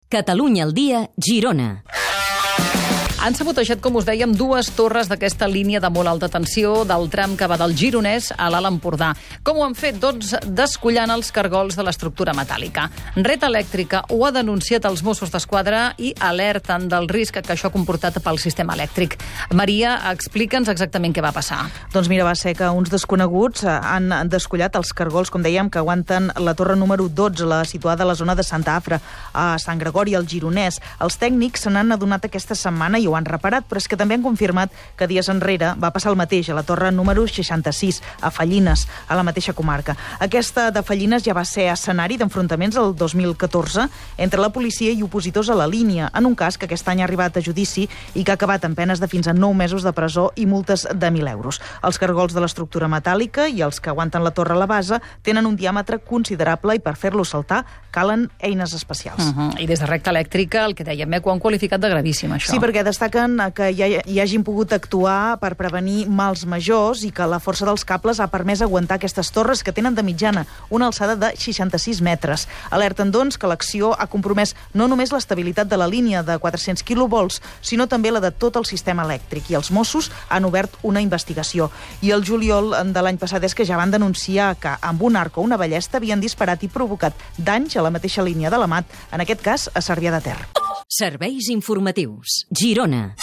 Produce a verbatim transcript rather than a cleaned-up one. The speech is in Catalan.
Catalunya al dia, Girona. Han sabotejat, com us dèiem, dues torres d'aquesta línia de molt alta tensió del tram que va del Gironès a l'Alt Empordà. Com ho han fet? Doncs descollant els cargols de l'estructura metàl·lica. Red Elèctrica ho ha denunciat als Mossos d'Esquadra i alerten del risc que això ha comportat pel sistema elèctric. Maria, explica'ns exactament què va passar. Doncs mira, va ser que uns desconeguts han descollat els cargols, com dèiem, que aguanten la torre número dotze, la situada a la zona de Santa Afra, a Sant Gregori, al Gironès. Els tècnics se n'han adonat aquesta setmana i ho han reparat, però és que també han confirmat que dies enrere va passar el mateix a la torre número seixanta-sis, a Fallines, a la mateixa comarca. Aquesta de Fallines ja va ser escenari d'enfrontaments el dos mil catorze entre la policia i opositors a la línia, en un cas que aquest any ha arribat a judici i que ha acabat amb penes de fins a nou mesos de presó i multes de mil euros. Els cargols de l'estructura metàl·lica i els que aguanten la torre a la base tenen un diàmetre considerable i per fer-los saltar calen eines especials. Uh -huh. I des de Recta Elèctrica, el que dèiem, eh, ho han qualificat de gravíssim, això. Sí, perquè destaquen que hi, ha, hi hagin pogut actuar per prevenir mals majors i que la força dels cables ha permès aguantar aquestes torres que tenen de mitjana una alçada de seixanta-sis metres. Alerten, doncs, que l'acció ha compromès no només l'estabilitat de la línia de quatre-cents quilovolts, sinó també la de tot el sistema elèctric, i els Mossos han obert una investigació. I el juliol de l'any passat és que ja van denunciar que amb un arc o una ballesta havien disparat i provocat danys a la mateixa línia de l'Amat, en aquest cas a Cervià de Ter. Serveis informatius. Girona.